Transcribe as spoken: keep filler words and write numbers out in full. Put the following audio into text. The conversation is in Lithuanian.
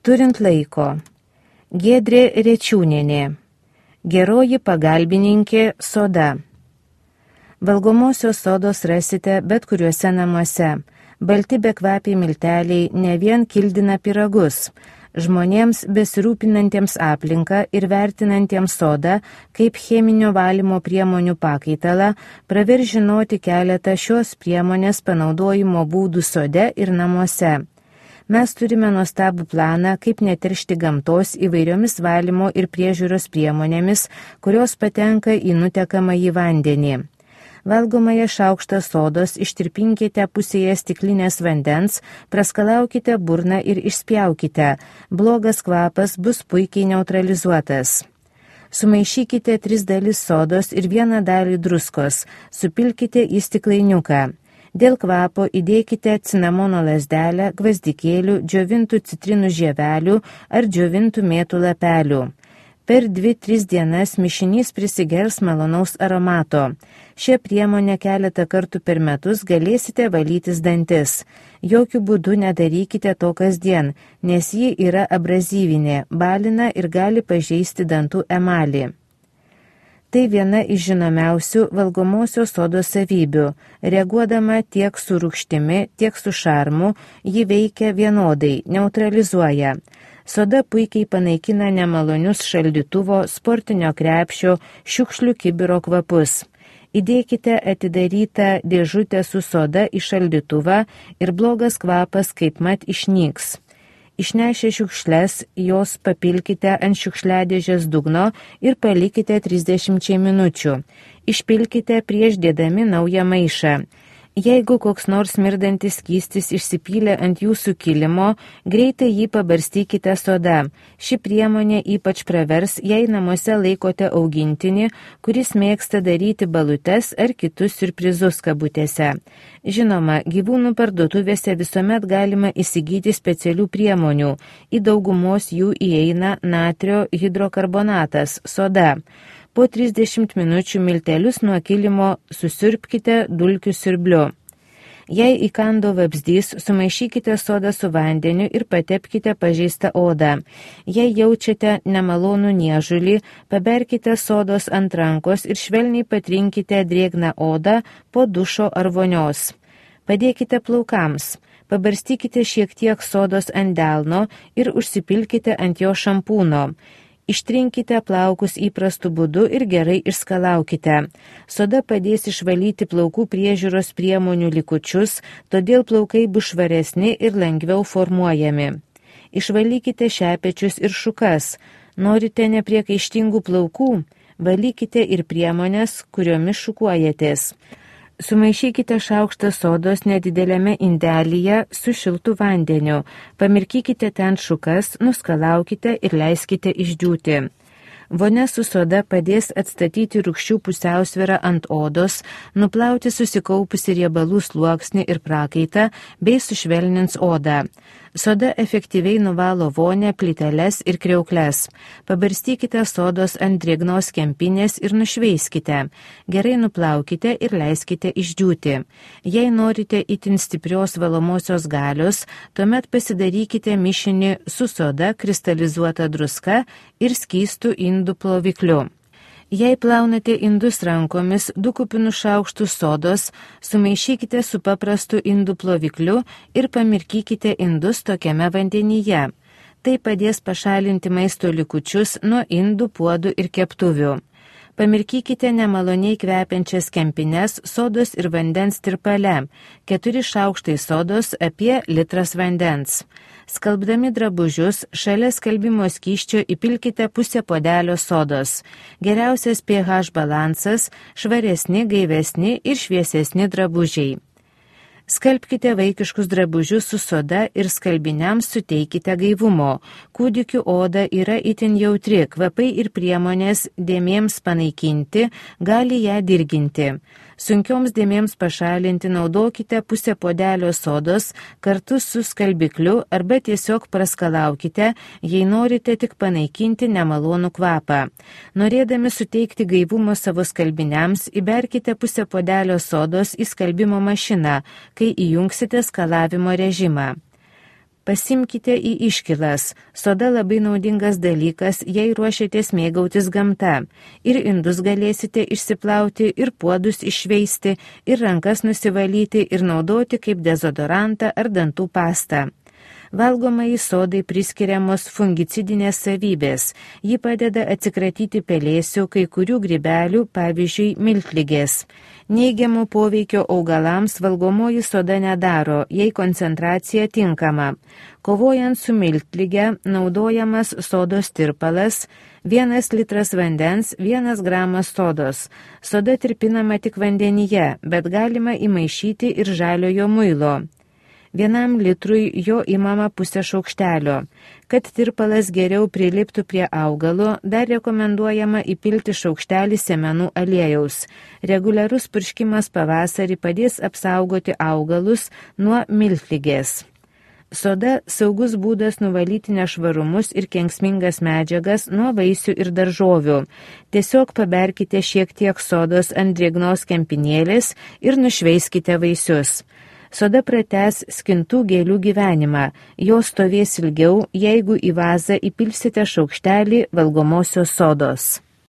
Turint laiko. Giedrė Rečiūnienė. Geroji pagalbininkė soda. Valgomosios sodos rasite bet kuriuose namuose. Balti bekvapiai milteliai ne vien kildina pyragus. Žmonėms besirūpinantiems aplinką ir vertinantiems sodą kaip cheminio valymo priemonių pakaitalą praver žinoti keletą šios priemonės panaudojimo būdų sode ir namuose. Mes turime nuostabų planą, kaip neteršti gamtos įvairiomis valymo ir priežiūros priemonėmis, kurios patenka į nutekamąjį vandenį. Valgomąją šaukštą sodos ištirpinkite pusėje stiklinės vandens, praskalaukite burną ir išspjaukite. Blogas kvapas bus puikiai neutralizuotas. Sumaišykite tris dalis sodos ir vieną dalį druskos. Supilkite į stiklainiuką. Dėl kvapo įdėkite cinamono lazdelę, gvazdikėlių, džiovintų citrinų žievelių ar džiovintų mėtų lapelių. Per dvi tris dienas mišinys prisigers malonaus aromato. Šią priemonę keletą kartų per metus galėsite valytis dantis. Jokių būdų nedarykite to kasdien, nes ji yra abrazyvinė, balina ir gali pažeisti dantų emalį. Tai viena iš žinomiausių valgomosios sodos savybių. Reaguodama tiek su rūgštimi, tiek su šarmu, ji veikia vienodai, neutralizuoja. Soda puikiai panaikina nemalonius šaldytuvo, sportinio krepšio, šiukšlių kibiro kvapus. Įdėkite atidarytą dėžutę su soda į šaldytuvą ir blogas kvapas kaipmat išnyks. Išnešę šiukšles, jos papilkite ant šiukšliadėžės dugno ir palikite trisdešimčiai minučių. Išpilkite prieš dėdami naują maišą. Jeigu koks nors smirdantis skystis išsipylė ant jūsų kilimo, greitai jį pabarstykite soda. Ši priemonė ypač pravers, jei namuose laikote augintinį, kuris mėgsta daryti balutes ar kitus siurprizus kabutėse. Žinoma, gyvūnų parduotuvėse visuomet galima įsigyti specialių priemonių. Į daugumos jų įeina natrio hidrokarbonatas, soda. Po trisdešimt minučių miltelius nuo kilimo susiurbkite dulkių siurbliu. Jei įkando vabzdys, sumaišykite sodą su vandeniu ir patepkite pažeistą odą. Jei jaučiate nemalonų niežulį, paberkite sodos ant rankos ir švelniai patrinkite drėgną odą po dušo ar vonios. Padėkite plaukams. Pabarstykite šiek tiek sodos ant delno ir užsipilkite ant jo šampūno. Ištrinkite plaukus įprastu būdu ir gerai išskalaukite. Soda padės išvalyti plaukų priežiūros priemonių likučius, todėl plaukai bus švaresni ir lengviau formuojami. Išvalykite šepečius ir šukas. Norite nepriekaištingų plaukų? Valykite ir priemonės, kuriomis šukuojatės. Sumaišykite šaukštą sodos nedidelėme indelyje su šiltu vandeniu. Pamirkykite ten šukas, nuskalaukite ir leiskite išdžiūti. Vonia su soda padės atstatyti rūgščių pusiausvyrą ant odos, nuplauti susikaupusi riebalų sluoksnį ir prakaitą bei sušvelnins odą. Soda efektyviai nuvalo vonę, plyteles ir kriaukles. Pabarstykite sodos ant drėgnos kempinės ir nušveiskite. Gerai nuplaukite ir leiskite išdžiūti. Jei norite itin stiprios valomosios galios, tuomet pasidarykite mišinį su soda, kristalizuota druska ir skystų indų plovikliu. Jei plaunate indus rankomis, du kupinus šaukštus sodos, sumaišykite su paprastu indų plovikliu ir pamirkykite indus tokiame vandenyje. Tai padės pašalinti maisto likučius nuo indų, puodų ir keptuvių. Pamirkykite nemaloniai kvepiančias kempines sodos ir vandens tirpale. Keturi šaukštai sodos apie litras vandens. Skalbdami drabužius, šalia skalbimo skysčio įpilkite pusę puodelio sodos. Geriausias pH balansas, švaresni, gaivesni ir šviesesni drabužiai. Skalbkite vaikiškus drabužius su soda ir skalbiniams suteikite gaivumo. Kūdikių oda yra itin jautri, kvapai ir priemonės dėmėms panaikinti, gali ją dirginti. Sunkioms dėmėms pašalinti naudokite pusę puodelio sodos kartu su skalbikliu arba tiesiog praskalaukite, jei norite tik panaikinti nemalonų kvapą. Norėdami suteikti gaivumo savo skalbiniams, įberkite pusę puodelio sodos į skalbimo mašiną, kai įjungsite skalavimo režimą. Pasimkite į iškilas. Soda labai naudingas dalykas, jei ruošiatės mėgautis gamta. Ir indus galėsite išsiplauti, ir puodus išveisti, ir rankas nusivalyti, ir naudoti kaip dezodorantą ar dantų pastą. Valgomai sodai priskiriamos fungicidinės savybės. Ji padeda atsikratyti pelėsių, kai kurių grybelių, pavyzdžiui, miltligės. Neigiamų poveikio augalams valgomoji soda nedaro, jei koncentracija tinkama. Kovojant su miltlige naudojamas sodos tirpalas, vienas litras vandens, vienas gramas sodos. Soda tirpinama tik vandenyje, bet galima įmaišyti ir žaliojo muilo. Vienam litrui jo įmama pusę šaukštelio. Kad tirpalas geriau priliptų prie augalo, dar rekomenduojama įpilti šaukštelį sėmenų aliejaus. Reguliarus purškimas pavasarį padės apsaugoti augalus nuo miltligės. Soda saugus būdas nuvalyti nešvarumus ir kenksmingas medžiagas nuo vaisių ir daržovių. Tiesiog paberkite šiek tiek sodos ant drėgnos kempinėlės ir nušveiskite vaisius. Soda pratęs skintų gėlių gyvenimą. Jos stovės ilgiau, jeigu į vazą įpilsite šaukštelį valgomosios sodos.